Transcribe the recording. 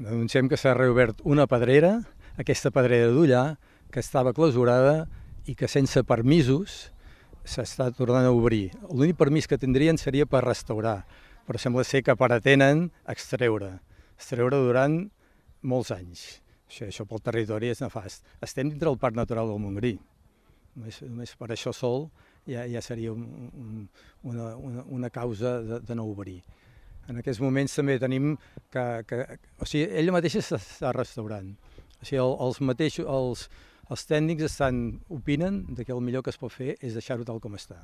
Denunciem que s'ha reobert una pedrera, aquesta pedrera d'Ullà, que estava clausurada i que sense permisos s'està tornant a obrir. L'únic permís que tindrien seria per restaurar, però sembla ser que pretenen extreure durant molts anys. Això pel territori és nefast. Estem dintre del Parc Natural del Montgrí. Només per això sol ja seria una causa de no obrir. En aquests moments també tenim o sigui, ella mateixa s'està restaurant. O sigui, els tècnics opinen que el millor que es pot fer és deixar-ho tal com està.